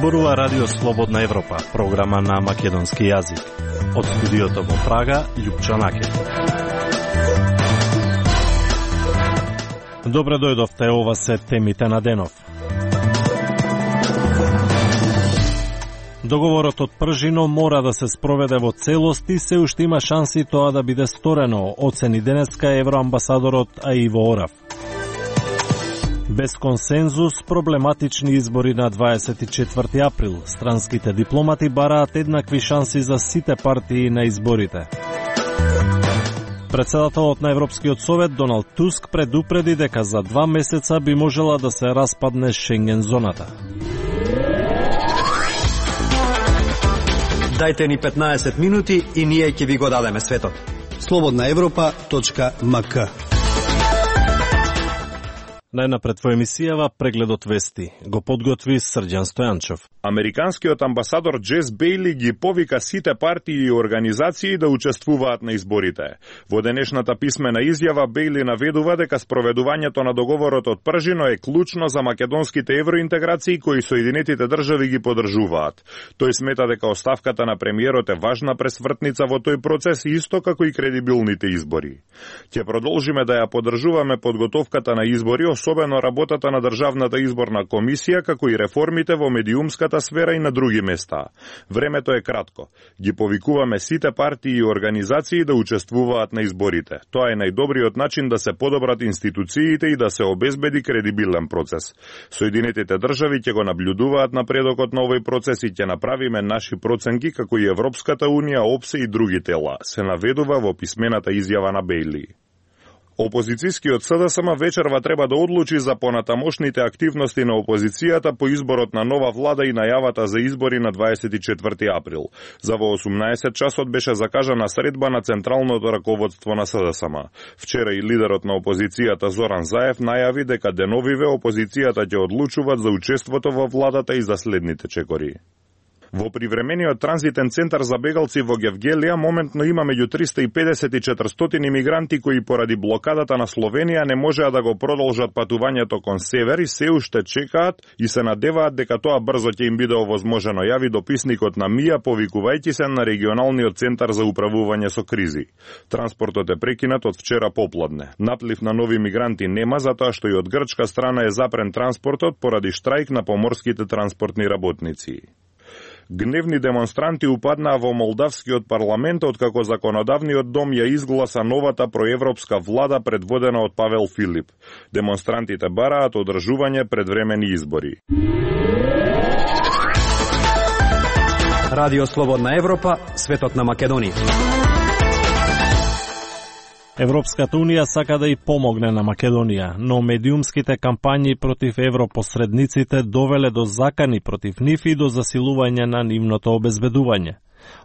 Зборува Радио Слободна Европа, програма на македонски јазик. Од студиото во Прага, Љупчо Накет. Добре дојдовте, ова се темите на денов. Договорот од Пржино мора да се спроведе во целост и се уште има шанси тоа да биде сторено, оцени денеска евроамбасадорот Иво Орав. Без консензус, проблематични избори на 24 април. Странските дипломати бараат еднакви шанси за сите партии на изборите. Председателот на Европскиот совет Доналд Туск предупреди дека за 2 месеца би можела да се распадне Шенген зоната. Дајте ни 15 минути и ние ќе ви го дадеме светот. slobodnaevropa.mk. Најнапред во емисијава прегледот вести го подготви Срđan Стојанчов. Американскиот амбасадор Джес Бејли ги повика сите партии и организации да учествуваат на изборите. Во денешната писмена изјава Бејли наведува дека спроведувањето на договорот од Пржино е клучно за македонските евроинтеграции кои Соединетите држави ги поддржуваат. Тој смета дека оставката на премиерот е важна пресвртница во тој процес исто како и кредибилните избори. Ќе продолжиме да ја поддржуваме подготовката на избори, особено работата на Државната изборна комисија, како и реформите во медиумската сфера и на други места. Времето е кратко. Ги повикуваме сите партии и организации да учествуваат на изборите. Тоа е најдобриот начин да се подобрат институциите и да се обезбеди кредибилен процес. Соединетите држави ќе го наблюдуваат напредокот на овој процес и ќе направиме наши проценки како и Европската унија, ОПСЕ и други тела, се наведува во писмената изјава на Бејли. Опозицијскиот СДСМ вечерва треба да одлучи за понатамошните активности на опозицијата по изборот на нова влада и најавата за избори на 24 април. За во 18 часот беше закажана средба на централното раководство на СДСМ. Вчера и лидерот на опозицијата Зоран Заев најави дека деновиве опозицијата ќе одлучуваат за учеството во владата и за следните чекори. Во привремениот транзитен центар за бегалци во Гевгелија моментно има меѓу 350 и 400 имигранти кои поради блокадата на Словенија не можеа да го продолжат патувањето кон север и се уште чекаат и се надеваат дека тоа брзо ќе им биде овозможено, јави дописникот на МИА повикувајќи се на регионалниот центар за управување со кризи. Транспортот е прекинат од вчера попладне. Наплив на нови мигранти нема затоа што и од грчка страна е запрен транспортот поради штрајк на поморските транспортни работници. Гневни демонстранти упаднаа во молдавскиот парламент откако законодавниот дом ја изгласа новата проевропска влада предводена од Павел Филип. Демонстрантите бараат одржување предвремени избори. Радио Слободна Европа, светот на Македонија. Европската унија сака да и помогне на Македонија, но медиумските кампањи против европосредниците довеле до закани против нив и до засилување на нивното обезбедување.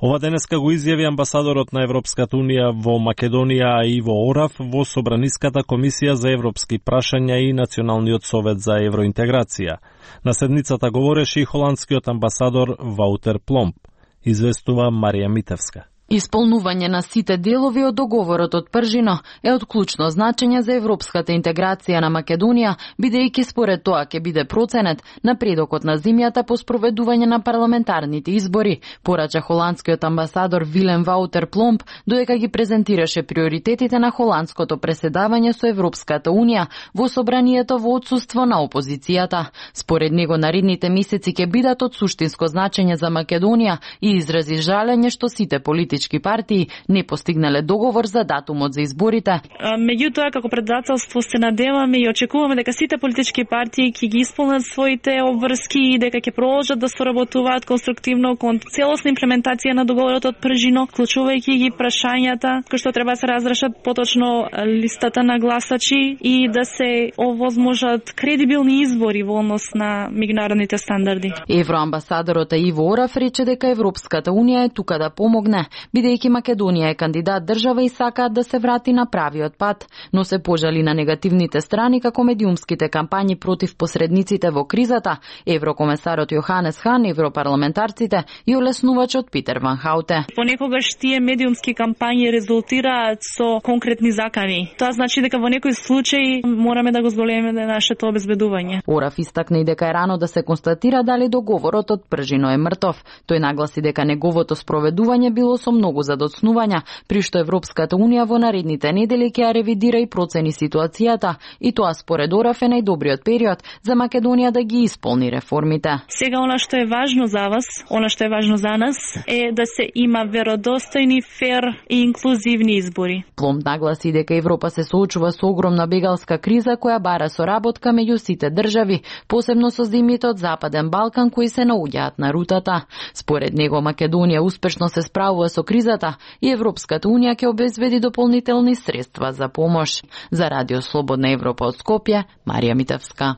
Ова денеска го изјави амбасадорот на Европската унија во Македонија Иво Орав во Собраниската комисија за европски прашања и Националниот совет за евроинтеграција. На седницата говореше и холандскиот амбасадор Ваутер Пломб, известува Марија Митевска. Исполнување на сите делови од договорот од Пржино е од клучно значење за европската интеграција на Македонија, бидејќи според тоа ќе биде проценет напредокот на земјата по спроведување на парламентарните избори, порача холандскиот амбасадор Вилем Ваутер Пломб, додека ги презентираше приоритетите на холандското преседавање со Европската унија во собранието во отсуство на опозицијата. Според него наредните месеци ќе бидат од суштинско значење за Македонија и изрази жалење што сите политички партии не постигнале договор за датумот за изборите. Меѓутоа, како председателство се надеваме и очекуваме дека сите политички партии ќе ги исполнат своите обврски и дека ќе продолжат да соработуваат конструктивно кон целосна имплементација на договорот од Пржино, вклучувајќи ги прашањата кои што треба да се разрешат, поточно листата на гласачи и да се овозможат кредибилни избори во однос на меѓународните стандарди. Евроамбасадорот Иво Орав рече дека Европската унија е тука да помогне, бидејќи Македонија е кандидат држава и сакаат да се врати на правиот пат, но се пожали на негативните страни како медиумските кампањи против посредниците во кризата, еврокомесарот Јоханес Хан, европарламентарците и олеснувачот Питер Ван Хауте. Понекогаш тие медиумски кампањи резултираат со конкретни закани. Тоа значи дека во некој случај мораме да го зголемиме нашето обезбедување. Ораф истакна и дека е рано да се констатира дали договорот од Пржино е мртов. Тој нагласи дека неговото спроведување било со многу задоцнувања, при што Европската унија во наредните недели ќе ја ревидира и процени ситуацијата, и тоа според Ораф е најдобриот период за Македонија да ги исполни реформите. Сега она што е важно за вас, она што е важно за нас е да се има веродостојни, фер и инклузивни избори. Пломб нагласи дека Европа се соочува со огромна бегалска криза која бара соработка меѓу сите држави, посебно со земјите од Западен Балкан кои се наоѓаат на рутата. Според него Македонија успешно се справува со кризата и Европската унија ќе обезбеди дополнителни средства за помош. За Радио Слободна Европа од Скопје, Марија Митевска.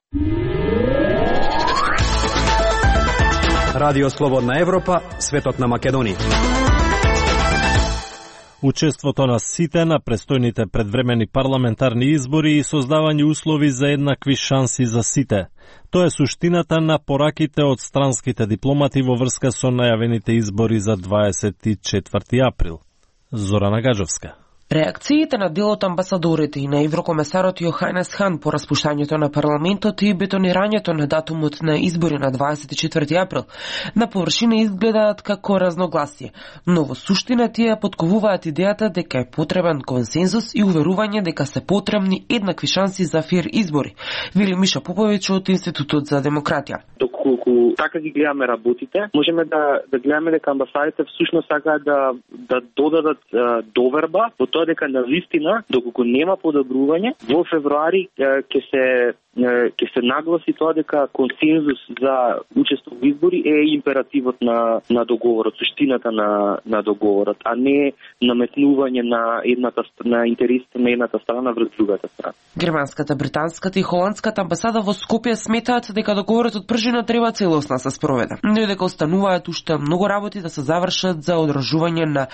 Радио Слободна Европа, светот на Македонија. Учеството на сите на престојните предвремени парламентарни избори и создавање услови за еднакви шанси за сите. Тоа е суштината на пораките од странските дипломати во врска со најавените избори за 24 април. Зорана Гаджовска. Реакциите на дел од амбасадорите и на еврокомесарот Јоханес Хан по распуштањето на парламентот и бетонирањето на датумот на избори на 24 април на површина изгледаат како разногласие, но во суштина тие подковуваат идејата дека е потребен консензус и уверување дека се потребни еднакви шанси за фер избори, вели Миша Поповиќ од Институтот за демократија. Доколку така ги гледаме работите, можеме да гледаме дека амбасадите всушност сакаат да додадат доверба во тоа дека навистина, доколку нема подобрување, во февруари ќе се нагласи тоа дека консензус за учество во избори е императивот на договорот, суштината на договорот, а не наметнување на интересите на едната страна врз другата страна. Германската, британската и холандската амбасада во Скопје сметаат дека договорот од Пржино треба целосно се спроведе, но и дека остануваат уште многу работи да се завршат за одржување на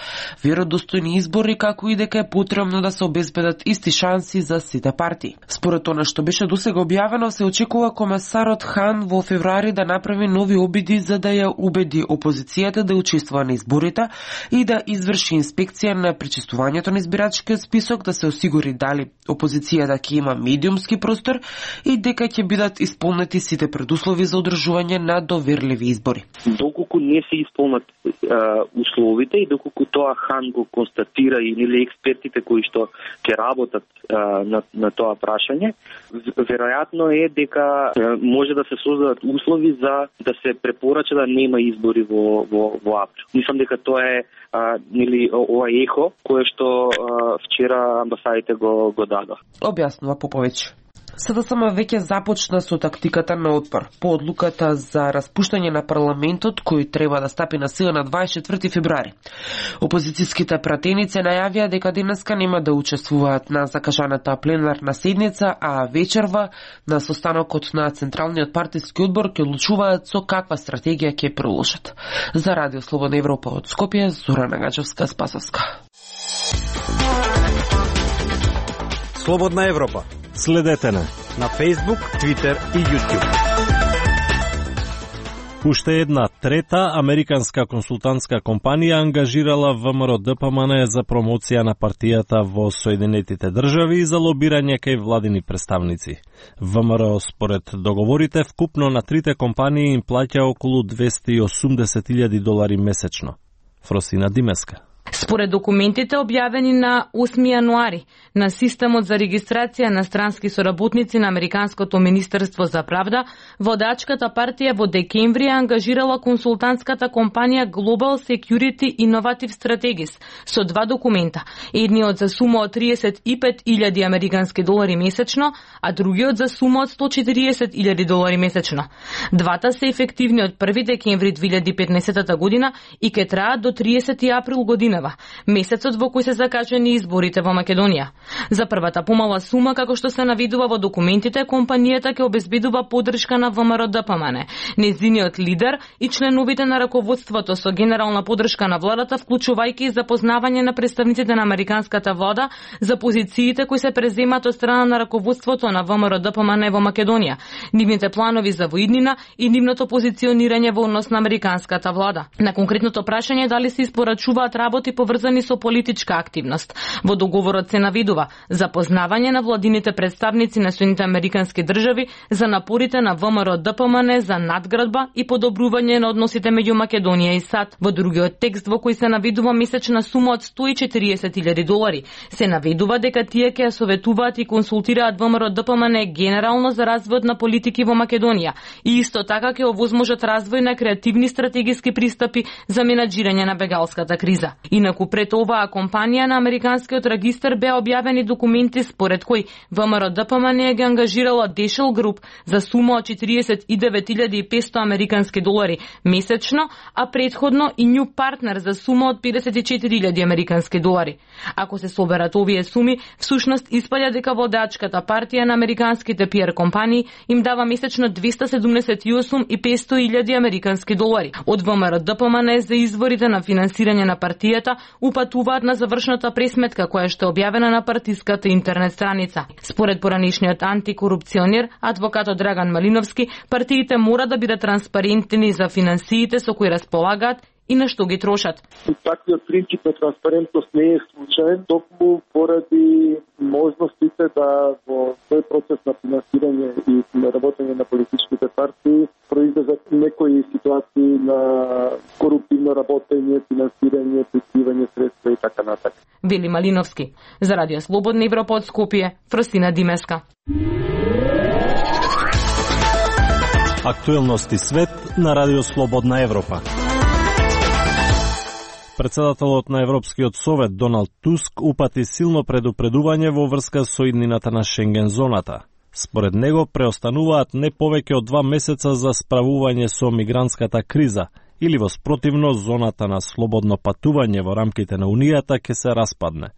веродостојни избори, како и дека е потребно да се обезбедат исти шанси за сите партии. Според она што беше досега објавено, се очекува комесарот Хан во февруари да направи нови обиди за да ја убеди опозицијата да учествува на изборите и да изврши инспекција на пречистувањето на избирачкиот список, да се осигури дали опозицијата ќе има медиумски простор и дека ќе бидат исполнети сите предуслови за одржување на доверливи избори. Доколку не се исполнат условите и доколку тоа Хан го констатира или експертите кои што ќе работат на тоа прашање, веројатно е дека може да се создадат услови за да се препорача да нема избори во април. Мислам дека тоа е ова ехо кое што вчера амбасадите го дадо. Објаснува Поповиќ. СДСМ веќе започна со тактиката на отпор по одлуката за распуштање на парламентот кој треба да стапи на сила на 24 февруари. Опозицијските пратеници најавија дека денеска нема да учествуваат на закажаната пленарна седница, а вечерва на состанокот на Централниот партиски одбор ќе одлучуваат со каква стратегија ќе приложат. За Радио Слободна Европа од Скопје, Зорана Гаджевска, Спасовска. Слободна Европа. Следете на Facebook, Twitter и YouTube. Уште една трета американска консултантска компанија ангажирала ВМРО ДПМН за промоција на партијата во Соединетите држави и за лобирање кај владини представници. ВМРО според договорите вкупно на трите компании им плаќа околу $280,000 месечно. Фросина Димеска. Според документите објавени на 8 јануари на системот за регистрација на странски соработници на Американското министерство за правда, водачката партија во декември ангажирала консултантската компанија Global Security Innovative Strategies со два документа, едниот за сума од $35,000 американски долари месечно, а другиот за сума од $140,000 месечно. Двата се ефективни од 1 декември 2015 година и ќе траат до 30 април година. Женева, месецот во кој се закажени изборите во Македонија. За првата помала сума, како што се навидува во документите, компанијата ќе обезбедува поддршка на ВМРО-ДПМН, незиниот лидер и членовите на раководството со генерална поддршка на владата, вклучувајќи и запознавање на представниците на американската влада за позициите кои се преземат од страна на раководството на ВМРО-ДПМН во Македонија, нивните планови за воиднина и нивното позиционирање во однос на американската влада. На конкретното прашање дали се испорачуваат работи поврзани со политичка активност, во договорот се навидува запознавање на владините представници на Соединетите американски држави за напорите на ВМРО-ДПМН за надградба и подобрување на односите меѓу Македонија и САД. Во другиот текст во кој се навидува месечна сума од $140,000, се навидува дека тие ќе советуваат и консултираат ВМРО-ДПМН генерално за развојот на политики во Македонија и исто така ќе овозможат развој на креативни стратегиски пристапи за менаџирање на бегалската криза. Инаку пред оваа компанија на американскиот регистар беа објавени документи според кои ВМРО-ДПМН ги ангажирала Дешел Груп за сума од $49,500 американски долари месечно, а претходно и New Partner за сума од $54,000 американски долари. Ако се соберат овие суми, всушност испаѓа дека водачката партија на американските PR компании им дава месечно $278,500 американски долари. Од ВМРО-ДПМН за изворите на финансирање на партијата упатуваат на завршната пресметка која што е објавена на партиската интернет страница. Според поранишниот антикорупционер, адвокатот Драган Малиновски, партиите мора да бидат транспарентни за финансиите со кои располагаат и на што ги трошат. Таквиот принцип на транспарентност не е случаен, токму поради можностите да во тој процес на финансирање и на работење на политичките партии произлезат некои ситуации на коруптивно работење, финансирање, прикривање средства и така натаму. Вели Малиновски. За Радио Слободна Европа од Скопје, Фростина Димеска. Актуелности свет на Радио Слободна Европа. Председателот на Европскиот совет Доналд Туск упати силно предупредување во врска со иднината на Шенген зоната. Според него преостануваат не повеќе од 2 месеца за справување со мигрантската криза, или воспротивно зоната на слободно патување во рамките на Унијата ќе се распадне.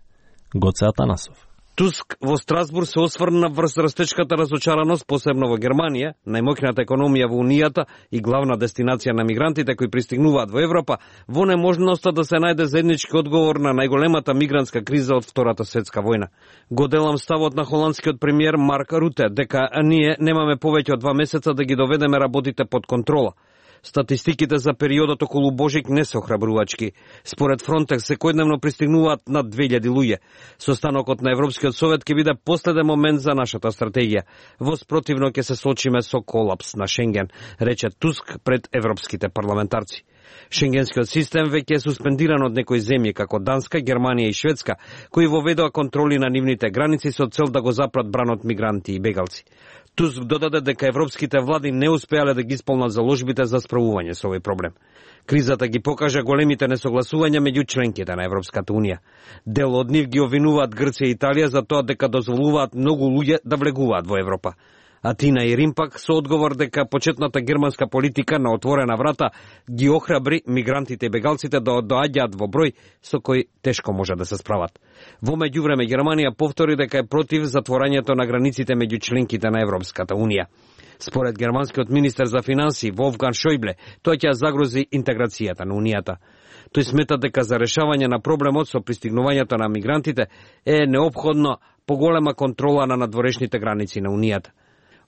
Гоце Атанасов. Туск во Страсбург се осврна врз растечката разочараност, посебно во Германија, најмоќната економија во Унијата и главна дестинација на мигрантите кои пристигнуваат во Европа, во неможноста да се најде заеднички одговор на најголемата мигрантска криза од Втората светска војна. Го делам ставот на холандскиот премиер Марк Руте дека ние немаме повеќе од 2 месеца да ги доведеме работите под контрола. Статистиките за периодот околу Божик не се охрабрувачки. Според Фронтекс секојдневно пристигнуваат над 2000 луѓе. Состанокот на Европскиот совет ќе биде последен момент за нашата стратегија. Воспротивно ќе се соочиме со колапс на Шенген, рече Туск пред европските парламентарци. Шенгенскиот систем веќе е суспендиран од некои земји како Данска, Германија и Шведска, кои воведоа контроли на нивните граници со цел да го запрат бранот мигранти и бегалци. Туск додаде дека европските влади не успеале да ги исполнат заложбите за справување со овој проблем. Кризата ги покажа големите несогласувања меѓу членките на Европската Унија. Дел од нив ги обвинуваат Грција и Италија за тоа дека дозволуваат многу луѓе да влегуваат во Европа. Атина и Рим пак со одговор дека почетната германска политика на отворена врата ги охрабри мигрантите и бегалците да доаѓаат во број со кој тешко може да се справат. Во меѓувреме Германија повтори дека е против затворањето на границите меѓу членките на Европската Унија. Според германскиот министер за финансии Волфганг Шојбле, тој ќе загрози интеграцијата на Унијата. Тој смета дека за решавање на проблемот со пристигнувањето на мигрантите е неопходно поголема контрола на надворешните граници на Унијата.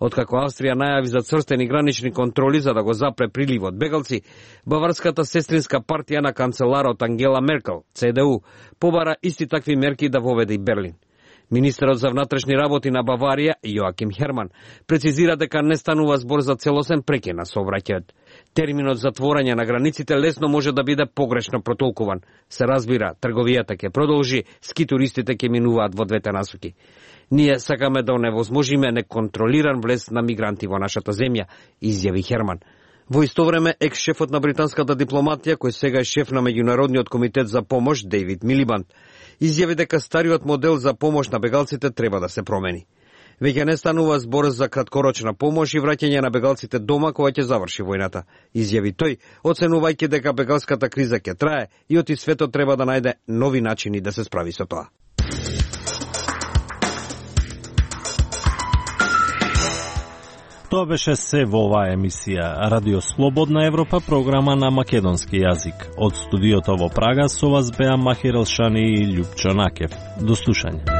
Откако Австрија најави за црстени гранични контроли за да го запре приливот бегалци, баварската сестринска партија на канцеларот Ангела Меркел, ЦДУ, побара исти такви мерки да воведе и Берлин. Министерот за внатрешни работи на Баварија, Јоаким Херман, прецизира дека не станува збор за целосен прекин на сообраќајот. Терминот затворање на границите лесно може да биде погрешно протолкуван. Се разбира, трговијата ќе продолжи, ски туристите ќе минуваат во двете насоки. Ние сакаме да оневозможиме неконтролиран влез на мигранти во нашата земја, изјави Херман. Во исто време, екс-шефот на британската дипломатија, кој сега е шеф на Меѓународниот комитет за помош, Дейвид Милибанд, изјави дека стариот модел за помош на бегалците треба да се промени. Веќе не станува збор за краткорочна помош и враќање на бегалците дома кога ќе заврши војната, изјави тој, оценувајќи дека бегалската криза ќе трае и оти светот треба да најде нови начини да се справи со тоа. Тоа беше се во оваа емисија Радио Слободна Европа, програма на македонски јазик. Од студиото во Прага со вас беа Махир Елшани и Љупчо Накев. До слушање.